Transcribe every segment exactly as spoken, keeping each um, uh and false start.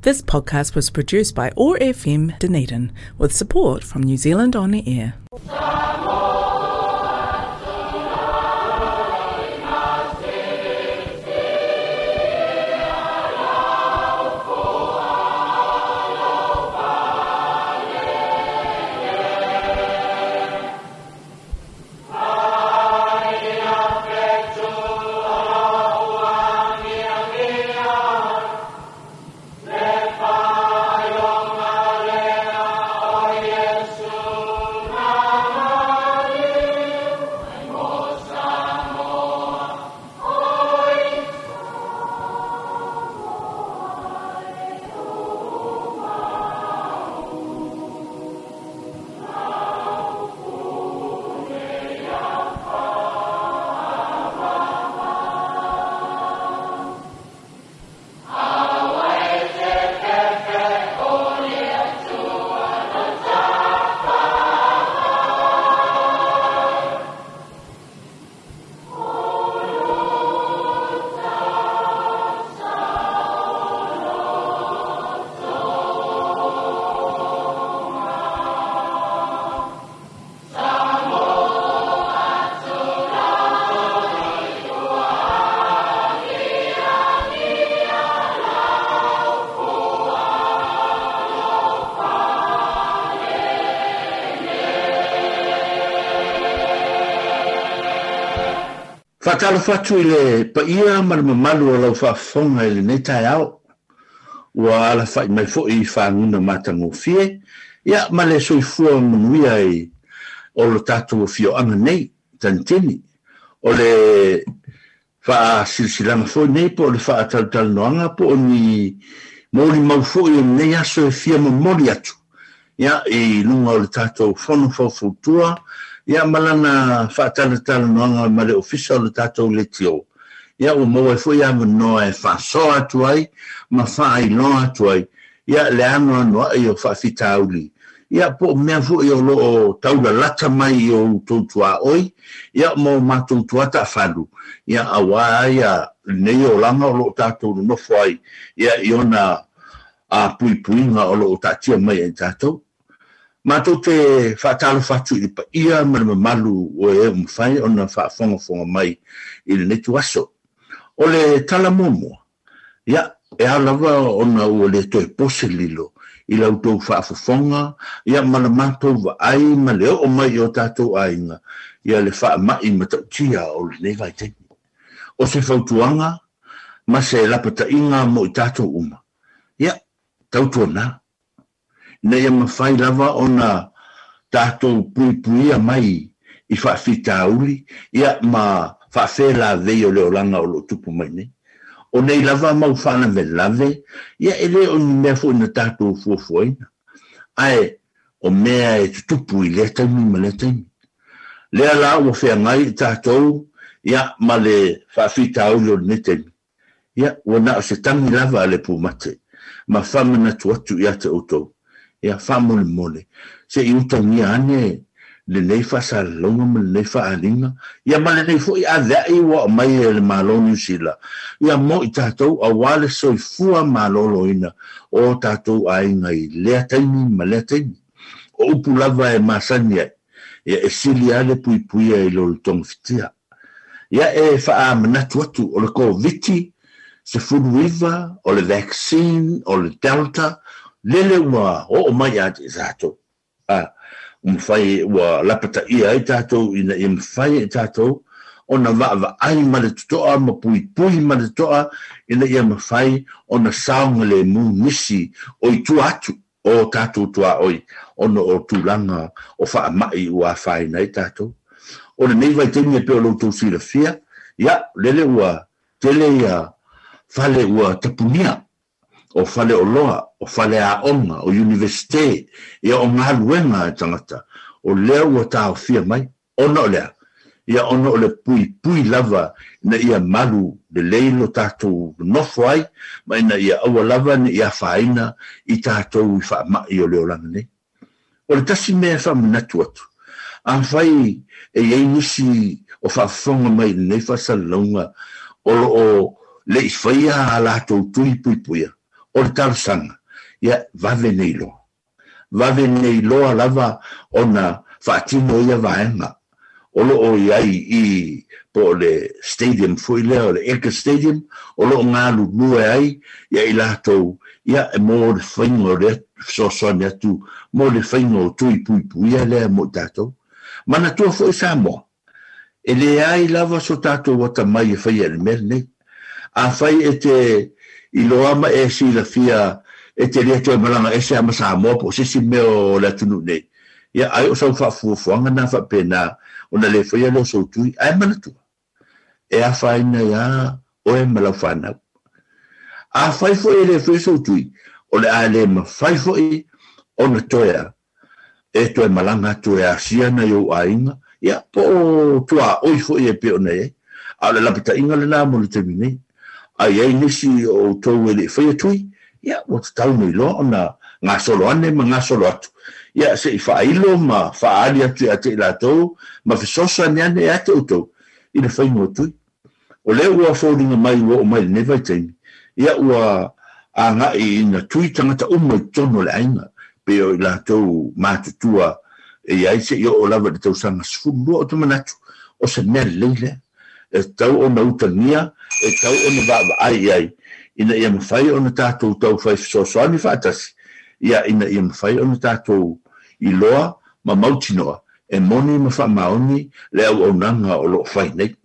This podcast was produced by O R F M Dunedin with support from New Zealand On Air. Whakatalofa atu i le paia ma le mamalu o lau faafofoga i lenei taeao. Ua alafai mai foi i faguga matagofie, ia ma le soifua manuia i o lo tatou afioaga nei, Tanitini. O le faasilasilaga foi nei po o le faatalatalanoaga po o ni molimau foi o lenei aso e fia momoli atu, ia i luga o le tatou fono faufautua, ia ma lana faatalatalanoaga ma le ofisa o le tatou leitio. Ia ua maua ai foi avanoa e faasoa atu ai ma faailoa atu ai, ia le anoanoai o faafitauli. Ia po o mea foi o loo taulalata mai i o outou tuaoi, ia ma o matou tuataafalu, ia auā ia lenei olaga o loo tatou nonofo ai, ia i ona a puipuiga o loo taatia mai ai tatou. Matou te faatalofa atu i le paia ma le mamalu o e ua mafai ona faafogafoga mai i lenei tuaso. O le tala muamua, ia, e ao lava ona ua le toe pose lilo i la outou faafofoga, ia ma le matou vaai ma le oo mai i o tatou aiga, ia le faamai matautia o lenei vaitaimi. O se fautuaga ma se lapataiga mo i tatou uma, ia, tautuana, ina ia mafai lava ona tatou puipuia mai i faafitauli, ia ma faafelavei o le olaga o loo tupu mai nei. O nei lava mau faalavelave, ia e le o ni mea foi na tatou fuafuaina, ae o mea e tutupu i lea taimi ma lea taimi. Lea la ua feagai i tatou, ia ma le faafitauli o lenei taimi, ia ua na o se tagi lava a le pumate ma faamanatu atu ia te outou. Ia faamolemole se i utagia ane lenei faasalalauga ma lenei faaaaliga, ia ma lenei foi aveai ua aumai e le Malo o Niu Sila, ia mo i tatou auā le soifua malōlōina o tatou aiga i lea taimi ma lea taimi. O upu lava e masani ai, ia e sili lava le puipuia i lo le togafitia. Ia e faamanatu atu o le Koviti sefulu iva, o le vaccine, o le Delta, lele ua oo mai ia te tatou. A, ua mafai ua lapataia ai tatou ina ia mafai e tatou ona vaavaai ma le totoa ma puipui ma le totoa ina ia mafai ona saogalemu nisi o i tua atu o tatou tuaoi ona o tulaga o faamai ua afaina ai tatou. O lenei vaitaimi e pei o lo outou silafia, ia lele ua tele ia fale ua tapunia, o fale oloa, o fale aoga, o universite, ia o galuega e tagata, o lea ua taofia mai, ona o lea, ia ona o le puipui lava ina ia malu lelei lo tatou nonofo ai, ma ina ia aua lava ne i afaina i tatou i faamai o le olaga nei. O le tasi mea e faamanatu atu, afai e iai nisi o faafofoga mai i lenei faasalalauga o loo le i faia a latou tui puipuia, O le talosaga, ia vave nei loa. Vave nei loa lava ona faatino ia vaega. O loo i ai i po o le stadium foi lea o le Eka Stadium, o loo galulue ai ia i latou ia e mo le faiga o le fesoasoani atu mo le faiga o tui puipuia lea mo i tatou. Manatua foi Samoa, e leai lava so tatou atamai e faia i le mea lenei. Afai e te iloa ma e silafia e te le toe malaga ese lava ma Samoa po o se isi mea o le atunuu nei, ia ai o sau faafuafuaga na faapena ona le faia lea o sou tui. Ae manatua, e afaina ai lava oe ma lau fanau. Afai foi e le faia sou tui, o le a le mafai foi ona toe e toe malaga atu e asia nai ou aiga, ia po o tuaoi foi e pei ona i ai. A o le lapataiga lena mo le taimi nei. A i ai nisi o outou e le i faia tui, ia ua tatau nei loa ona gasolo ane ma gasolo atu, ia se i faailo ma faaali atu ia te i latou ma fesoasoani ane ia te outou i le faiga o tui. O lea ua foliga mai ua oo mai i lenei vaitaimi, ia ua agai ina tui tagata uma i totonu o le aiga, pei o i latou matutua e i ai seia oo lava i le tausaga sefulu lua. Ou te manatu, o se mea lelei lea, e tatau ona utagia, e tatau ona vaavaai i ai, ina ia mafai ona tatou taufai fesoasoani faatasi, ia ina ia mafai ona tatou iloa ma mautinoa e moni ma faamaoni le auaunaga o lo o fai nei.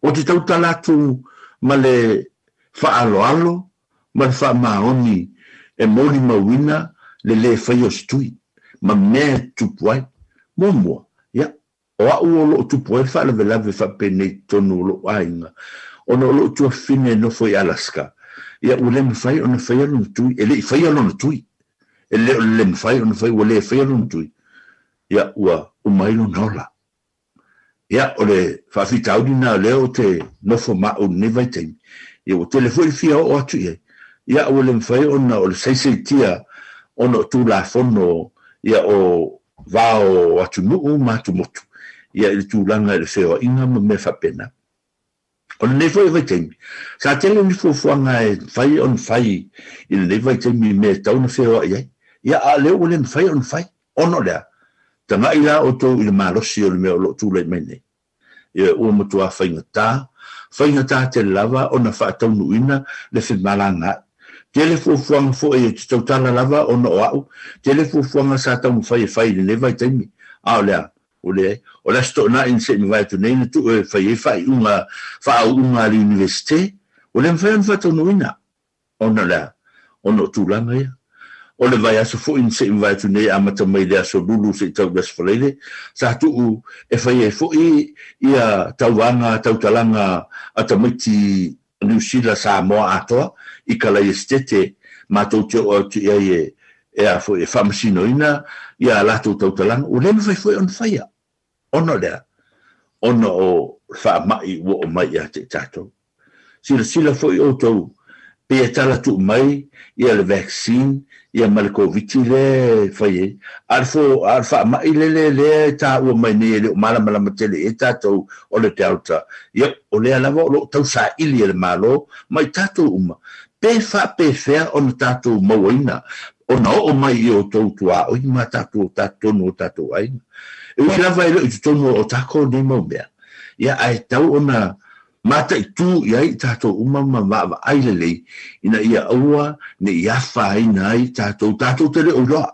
Ou te tautala atu ma le faaaloalo ma le faamaoni e molimauina le lē faia o se tui ma mea e tutupu ai. Muamua, ia, o au o loo tupu ai le faalavelave faapenei i totonu o lou aiga, ona o lou tuafafine e nofo i Alaska, ia ua le mafai ona faia lona tui, e le i faia lona tui, e le o le le mafai ona fai, ua le faia lona tui, ia ua uma ai lona ola. Ia, o le faafitauli lena o lea ou te nofo ma au i lenei vaitaimi, ia ua tele foi le fia oo atu i ai, ia ua le mafai ona o le saisaitia ona o Tulafono ia o va o atunuu ma atumotu ia i le tulaga i le feoaiga ma mea faapena. O lenei foi vaitaimi, sa tele ni fuafuaga e mafai ona fai i lenei vaitaimi i mea e tatau ona feoai ai, ia a o lea ua le mafai ona fai, ona o le a? Tagai la outou i le malosi o le mea o lo o tulai mai nei. Ia ua matua faigata, faigata tele lava ona faataunuuina le femalagaai. Tele fuafuaga foi ou te tautala lava ona o au, tele fuafuaga sa taumafai e fai i lenei vaitaimi, a o le a? Ua leai. O le Aso Toonai na se i mavae atu nei na tuu e fai ai faaiuga faaauuga a le Iunivesite, ua le mafai ona faataunuuina. Ona o le a? Ona o tulaga ia. O le vaiaso foi na se i mavae atu nei amata mai le Aso Lulu se i tau i le Aso Faraile, sa tuu e fai ai foi ia tauvaga tautalaga a tamaiti Niu Sila Samoa atoa i Kalaiasetete matou te oo atu i ai e e a foi e faamasinoina ia a latou tautalaga, ua le mafai foi ona faia ona o le a? Ona o le faamai ua oo mai ia te i tatou. Silasila foi outou pei e tala tuu mai ia le vaccine ia ma le Koviti lea e fai ai, a o le fo, a o le faamai lele lea e taua mai nei e le o malamalama tele i ai tatou o le Delta, ia o lea lava o lo o tausaili e le Malo ma i tatou uma pe faapefea ona tatou mauaina ona oo mai i outou tuaoi ma tatou totonu o tatou aiga. E ui lava e le o i totonu o takou nei mau mea, ia ae tatau ona Mataitu i ai i tatou uma ma vaavaai lelei ina ia aua ne i afaina ai tatou, tatou te le o iloa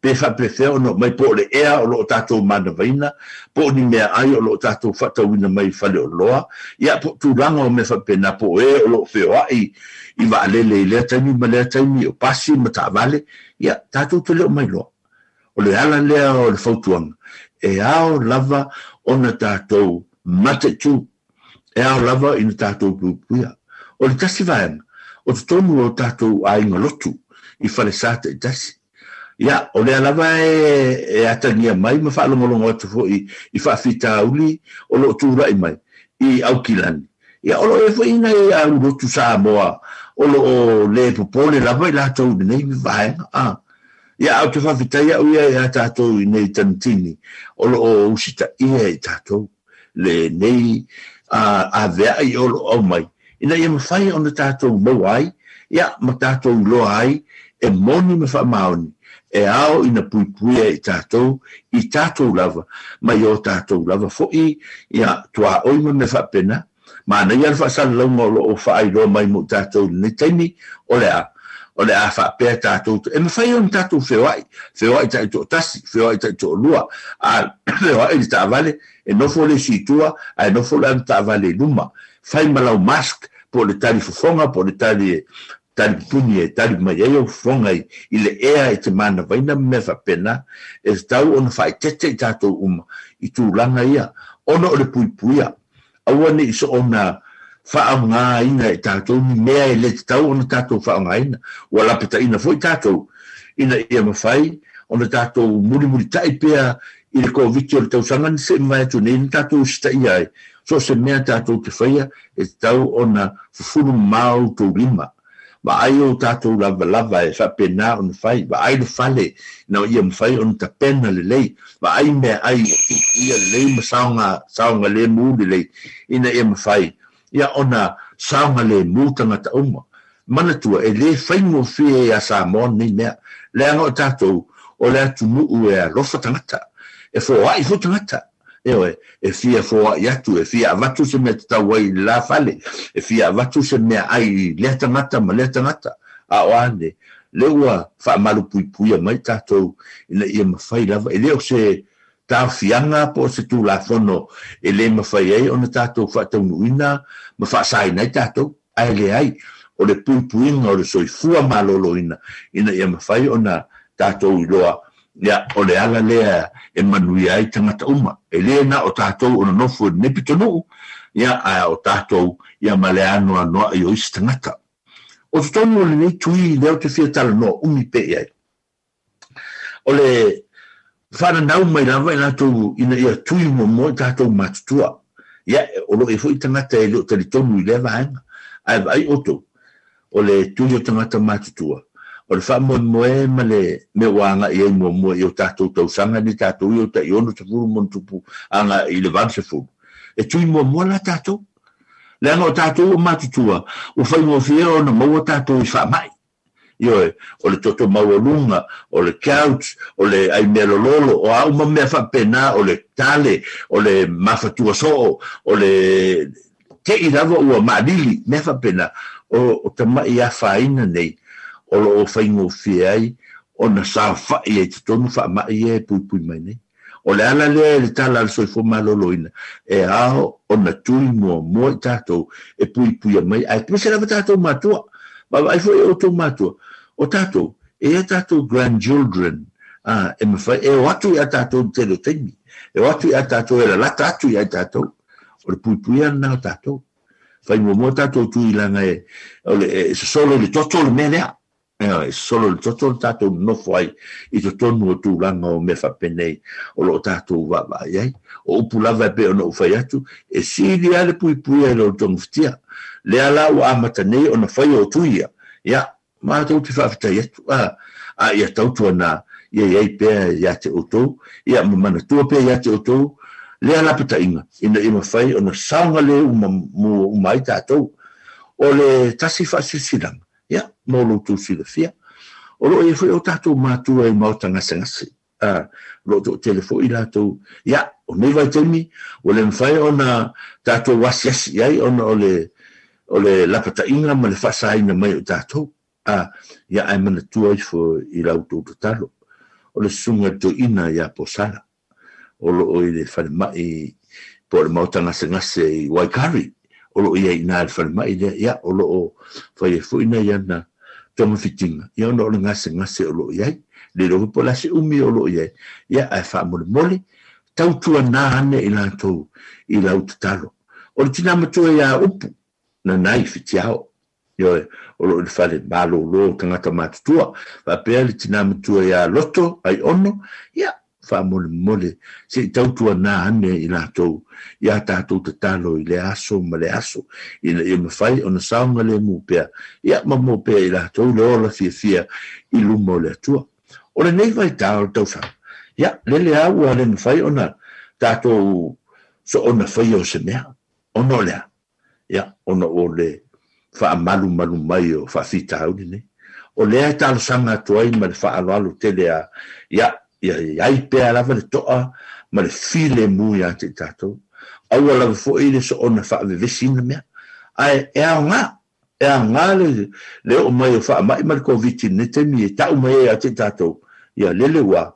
pe faapefea ona oo mai, po o le ea o lo o tatou manavaina, po o ni meaai o lo o tatou faatauina mai i faleoloa, ia po o tulaga o mea faapena, po o e o lo o feoai i vaalele i lea taimi ma lea taimi, o pasi ma taavale, ia tatou te le o mailoa. O le ala lea o le fautuaga, e ao lava ona tatou mataitu, e ao lava ina tatou puipuia. O le tasi vaega, o totonu o tatou aiga lotu i falesa taitasi. Ia, o lea lava e atagia mai ma faalogologo atu foi i faafitauli o lo o tulai mai i Aukilani. Ia, o lo o i ai foi nai au lotu Samoa o lo o le popole lava i latou i lenei vaega. A, ia, ae ou te faafetai au ia ia tatou i nei Tanitini o lo o usitaia i tatou lenei avea'i o lo o aumai ina ia mafai ona tatou maua ai Ia ma tatou iloa ai e moni ma faamaoni e ao ina puipuia i tatou i tatou lava mai o tatou lava fo'i ia tuaoi ma mea faapena. Manaia le faasalalauga o loo faailoa mai mo tatou i lenei taimi o le a o le a faapea tatou e mafai ona tatou feoai feoai taitoatasi feoai taitoalua a feoai le taavale e nofo le isi i tua ae nofo le ana taavale i luma fai ma lau mask po o le tali fofoga po o le tali tali pupuni e tali mai ai au fofoga i i le ea i te manavaina ma mea faapena e tatau ona faaeteete i tatou uma i tulaga ia ona o le puipuia aua nei soona faaaogaina e tatou ni mea e le tatau ona tatou faaaogaina ua lapataina foi tatou ina ia mafai ona tatou mulimulitai pea i le Koviti o le tausaga na se'i mavae atu nei na tatou usitaia ai so o se mea tatou te faia e tatau ona fufulu mamao outou lima vaai o tatou lavalava e faapena ona fai vaai le fale ina ia mafai ona tapena lelei vaai meaai ua puipuia lelei ma saoga saogalemu lelei ina ia mafai ia ona saogalemu tagata uma manatua e lē faigofie iā Samoa lenei mea leaga o tatou o le atunuu e alofa tagata e foa'i foi tagata ioe e fia foa'i atu e fia avatu se mea tatau ai i le la fale e fia avatu se meaai i lea tagata ma lea tagata a o a nei lea ua faamalupuipuia mai tatou ina ia mafai lava e le o se taofiaga po o se tulafono e lē mafai ai ona tatou faataunuuina ma faasaina ai tatou ae leai o le puipuiga o le soifua malōlōina ina ia mafai ona tatou iloa ia o le ala lea e manuia ai tagata uma e lē na o tatou o nonofo i lenei pitonuu ia ae o tatou ia ma le anoanoa'i o isi tagata o totonu o lenei tui lea ou te fia talanoa umi pea i ai o le faananau mai lava i latou ina ia tui muamua i tatou matutua ia o loo i ai foi tagata e le o talitonu i lea vaega ae vaai outou o le tui o tagata matutua o le faamoemoe ma le mea ua agai ai muamua i o tatou tausaga nei tatou ia o tai ono sefulu ma ona tupu agai i le valu sefulu e tui muamua la tatou leaga o tatou ua matutua ua faigofie ona maua tatou i faamai ioe o le toto maualuga o le gout o le ai mea lololo o a uma mea faapena o le tale o le mafatua soo o le te'i lava ua maalili mea faapena o o tama'i afaina nei o loo faigofie ai ona saofa'i ai totonu faama'i ia e puipui mai nei o le ala lea i le tala a le soifua malōlōina e ao ona tui muamua i tatou e puipuia mai ae aemaise lava tatou matua vaavaai foi e outou matua o tatou e i ai tatou grandchildren a e mafai e o atu iā tatou i le tele o taimi e o atu iā tatou e lalata atu iā tatou o le puipuia lena o tatou fai muamua tatou tui leaga e o le e sosolo i le toto le mea lea e sosolo i le toto le tatou nonofo ai i totonu o tulaga o mea faapenei o loo tatou vaavaai ai o upu lava e pei ona ou fai atu e sili lava le puipuia i lo le togafitia lea la ua amata nei ona fai o tui ia ia matou te faafetai atu a a ia tautuana ia i ai pea iā te outou ia ma manatua pea iā te outou lea lapataiga ina ia mafai ona saogalemu uma ai tatou o le tasi faasilasilaga ia mo lo outou silafia o loo i ai foi o tatou matua i maota gasegase a o loo toatele foi latou ia o nei vaitaimi ua le mafai ona tatou asiasi i ai ona o le o le lapataiga ma le faasaina mai o tatou a ia ae manatua ifo i la outou tatalo o le susuga i le toeaina ia Posala o loo i le falemai po o le maota gasegase i Waikari o loo i ai i ina i le falemai lea ia o loo fai ai foi nai ana togafitiga ia ona o le gasegase o loo i ai le iloa foi po o le a se umi o loo i ai ia ae faamolemole tautuanā ane i latou i lau tatalo o le tinā matua iā Upu Nanai Fitiao ioe o loo i le fale malōlō o tagata matutua faapea le tinā matua iā Loto Aiono ia faamolemole se'i tautuanā ane i latou iā tatou tatalo i le aso ma le aso ina ia mafai ona saogalemu pea ia ma maua pea i latou le ola fiafia i luma o le Atua o lenei vaitā o le tausaga ia lele lava ua le mafai ona tatou soona faia o se mea ona o le a ia ona o le faamalumalu mai o faafitauli nei. O lea e talosaga atu ai ma le faaaloalo tele a ia ia iai pea lava le toa ma le filemu iā te i tatou. Aua lava foʻi le soona faavevesiina mea. Ae e aogā, e aogā le, le oo mai o faamaʻi ma le Koviti i lenei taimi e taʻu mai ai iā te i tatou. Ia lele ua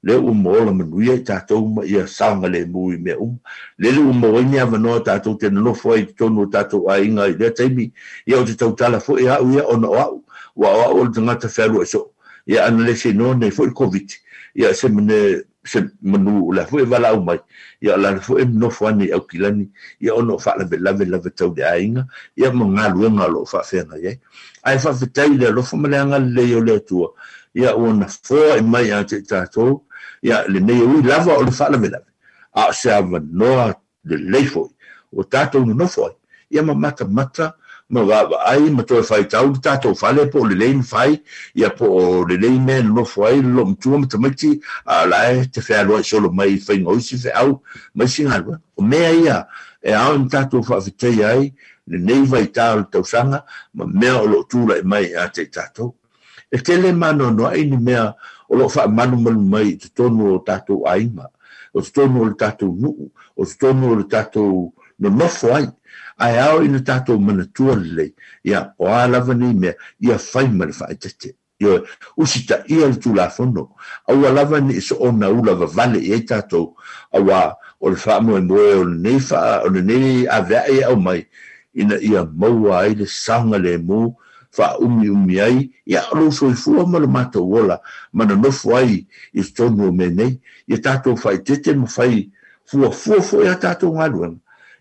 lea ua maola manuia i tatou ma ia saogalemu i mea uma. Lele ua maua ai ni avanoa tatou te nonofo ai i totonu o tatou aiga i lea taimi. Ia ou te tautala foʻi aʻu ia ona o aʻu, ua o aʻu o le tagata fealuaʻi soo. Ia ana le se iloa nei foʻi le Koviti, ia se mane se manu o le a foʻi e valaau mai, ia o le a foʻi e nonofo ane i Aukilani, ia ona o faalavelave lava tau le aiga, ia ma galuega o loo faafeagai ai. Ae faafetai i le alofa ma le agalelei o le Atua, ia ua nafoaʻi mai ia te i tatou, ia lenei e ui lava o le faalavelave, a o se avanoa lelei foʻi ua tatou nonofo ai, ia ma matamata ma vaavaai ma toe faitau le tatou fale po o lelei na fai, ia po o lelei mea e nonofo ai le loomatua ma tamaiti, a o la e te fealuaʻi solo mai i faiga o isi feau ma isi galuega. O mea ia e ao ina tatou faafetaia ai lenei vaitā o le tausaga ma mea o loo tulaʻi mai ia te i tatou. E tele maanoanoaʻi ni mea o loo faamalumalu mai i totonu o tatou aiga, o totonu o le tatou nuu, o totonu o le tatou nonofo ai. Ae ao ina tatou manatua lelei, ia o a lava nei mea, ia fai ma le faaeteete. Ioe, usitaia le Tulafono, aua lava ne i soona ula vavale i ai tatou, auā o le faamoemoe o lenei faa, o lenei aveaʻe e aumai, ina ia maua ai le saogalemu faaumiumi ai, ia o lou soifua ma lo matou ola ma nonofo ai i totonu o mea nei. Ia tatou faaeteete ma fai fuafua foʻi a tatou galuega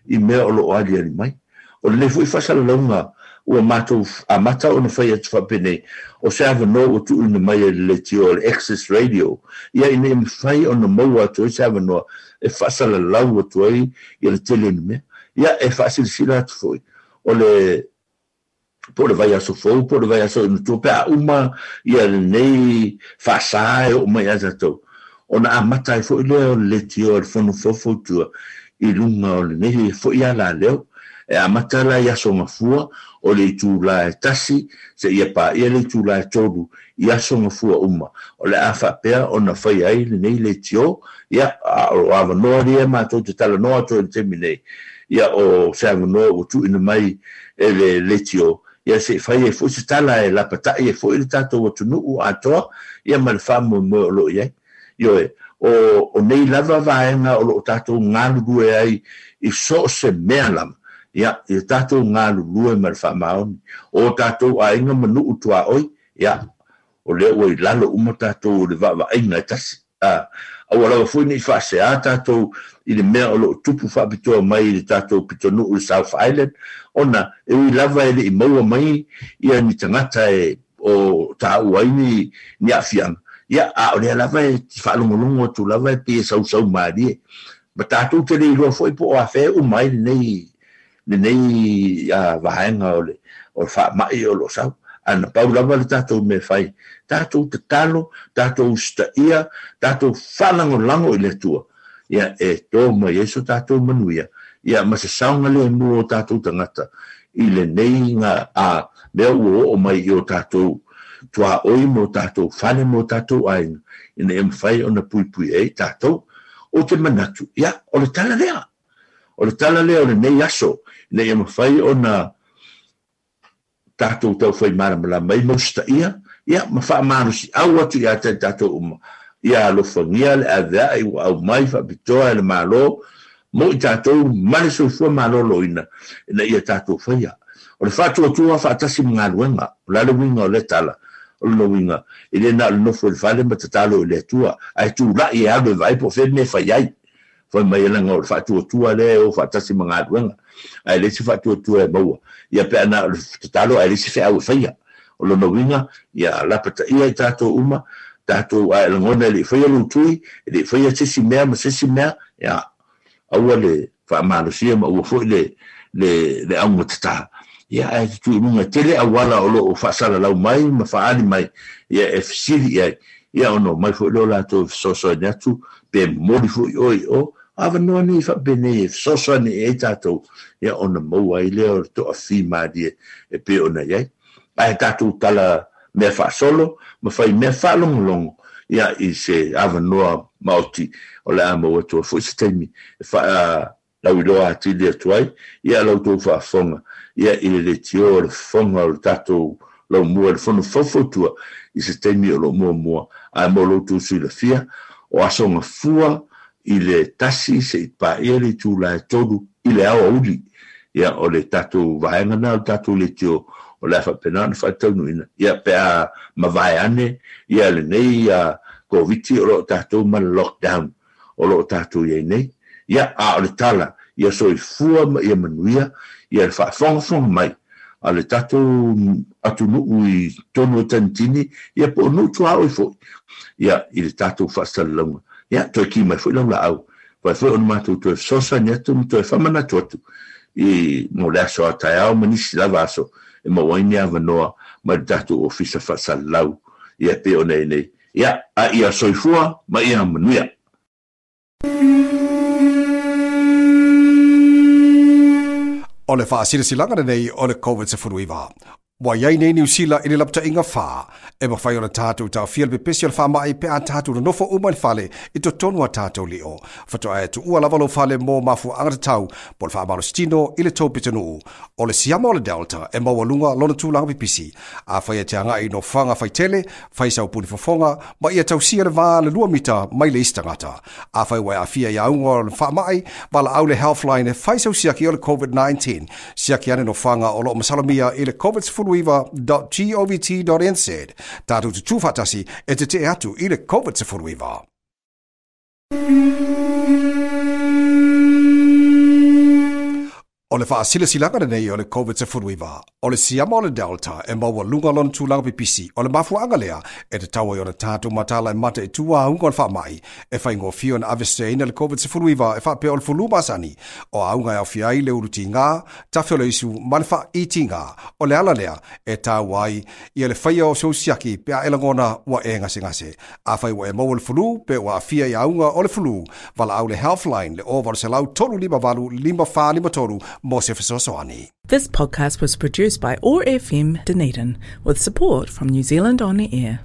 i mea o loo aliali mai. O lenei foʻi faasalalauga ua matou amata ona fai atu faapenei, o se avanoa ua tuuina mai e le leitio o le Access Radio, ia ina ia mafai ona maua atu ai se avanoa e faasalalau atu ai ia le tele o ni mea. Ia e faasilasila atu foʻi o le po o le vaiaso fou po o le vaiaso i matua pe a uma ia lenei faasā e oo mai ia tatou, ona amata ai foʻi lea o le leitio a le Fono Faufautua i luga o lenei foʻi alaleo. E amata la i aso gafua o le itulā e tasi seia paia le itulā e tolu i aso gafua uma o le a faapea ona fai ai lenei leitio. Ia a o avanoa lia matou te talanoa atu ai i le taimi nei, ia o se avanoa ua tuuina mai e le leitio, ia seʻi fai ai foʻi se tala e lapataʻi ai foʻi le tatou atunuu atoa, ia ma le faamoemoe o loo i ai. Ioe, o, o nei lava vaega o loo tatou galulue ai i so o se mea lava, ia, ia tatou galulue ma le faamaoni. O tatou aiga ma nuu tuaʻoi, ia, o lea ua i lalo uma tatou o le vaavaaiga e tasi. A, aua lava foʻi nei faaseā tatou i le mea o loo tupu faapitoa mai i le tatou pitonuu i le South Island, ona e ui lava e leʻi maua mai ia ni tagata e o taua ai ni, ni aafiaga, ia a o lea lava e faalogologo atu lava e pei e sausau malie. Ma tatou te le iloa foʻi po o afea e uma ai lenei lenei a vaega o le o le faamaʻi o loo sau. Ae na pau lava le tatou mea fai, tatou tatalo, tatou usitaia, tatou faalagolago i le Atua, ia e tō mai ai so tatou manuia, ia ma se saogalemu o tatou tagata i lenei ga a mea ua oo mai i o tatou tuaʻoi ma o tatou fale ma o tatou aiga, ina ia mafai ona puipui ai tatou. Ou te manatu, ia o le tala lea, o le tala lea o lenei aso, ina ia mafai ona tatou taufai malamalama ai ma usitaia, ia ma faamalosiau atu ia te i tatou uma, ia alofagia le aveaʻi ua aumai faapitoa e le Malo mo i tatou ma le soifua malōlōina ina ia tatou faia. O le faatuatua faatasi ma galuega, o le a le uiga o lea tala? O lona uiga, e le na o le nofo i le fale ma tatalo i le Atua, ae tulaʻi e alu e vaai po o fea mea e fai ai. Fai mai e laga o le faatuatua lea e o faatasi ma galuega, ae leai se faatuatua e maua, ia pe a na o le tatalo ae leai se feau e faia. O lona uiga, ia lapataia i tatou uma, tatou ae lagona e leʻi faia lou tui, e leʻi faia se isi mea ma se isi mea, ia aua le faamalosia ma aua foʻi le le le augatatā. Ia ae tutū i luga e tele auala o loo faasalalau mai ma faaali mai, ia e fesili i ai, ia ona omai foʻi lea o latou e fesoasoani atu pe momoli foʻi oe i o, Avanoa nei faapenei e fesoasoani i ai tatou ia ona maua ai lea o le toafimalie e pei ona i ai. Ae tatou tala mea faasolo ma fai mea faalogologo ia i se avanoa maoti o le a maua atu ai foi se taimi e faalauiloa atili atu ai ia la outou faafofoga ia i le leitio o le fofoga o le tatou laumua i le fono faufautua i se taimi o loo muamua. Ae mo lo outou silafia o aso gafua i le tasi seʻi paia le itula e tolu i le aoauli ia o le tatou vaega lena o le tatou leitio o le a faapena ona faataunuuina ia pe a mavae ane ia lenei Koviti o loo tatou ma le lockdown o loo tatou i ai nei. Ia a o le tala ia soifua ma ia manuia ia le faafogafoga mai a le tatou atunuu i totonu o Tanitini ia po o nuu tuaoi foi ia i le tatou faasalalauga. Ia toe ki mai foi lau laau fai foi ona matou toe fesoasoani atu ma toe faamanatu atu i mo le aso a taeao ma nisi lava aso e maua ai ni avanoa mai le tatou ofisa faasalalau ia pei ona i nei. Ia a ia soifua ma ia manuia. O le faasilasilaga lenei o le COVID sefuluiva. Ua iai nei Niu Sila i le lapataiga fā, e mafai ona tatou taofia le pepesi o le faamaʻi pe a tatou nonofo uma i le fale i totonu a tatou lio. Faatoa e tuua lava lou fale mo mafuaaga tatau po o le faamalositino i le tou pitonuu. O le siama o le Delta e maualuga lona tulaga pipisi. Afai e te agai i nofoaga faitele, fai sau puni fofoga, ma ia tausia le va le lua mita mai le isi tagata. Afai ua e aafia i auga o le faamaʻi, valaau le Healthline e fai sau siaki o le COVID nineteen. Siaki ane nofoaga o loo masalomia i le covid sefuluiva dot govt dot n z. Tatou tutū faatasi e tetee atu i le COVID sefuluiva. O le faasilasilaga lenei o le COVID sefuluiva, o le siama o le Delta e maualuga lona tulaga pipisi o le mafuaaga lea e tatau ai ona tatou matala e mata i tua auga o le faamaʻi e faigofie ona aveseseina le COVID sefuluiva e faapea o le fulu masani o auga e aofia ai le ulutigā, tafe o le isu ma le faaitiga. O le ala lea e taua ai ia le faia o sou siaki pe a e lagona ua e gasegase. Afai ua e maua le fulu pe ua aafia i auga o le fulu, valaau le Healthline le o valu selau tolu lima valu lima fa lima tolu mo se fesoasoani. This podcast was produced by O R F M Dunedin with support from New Zealand On Air.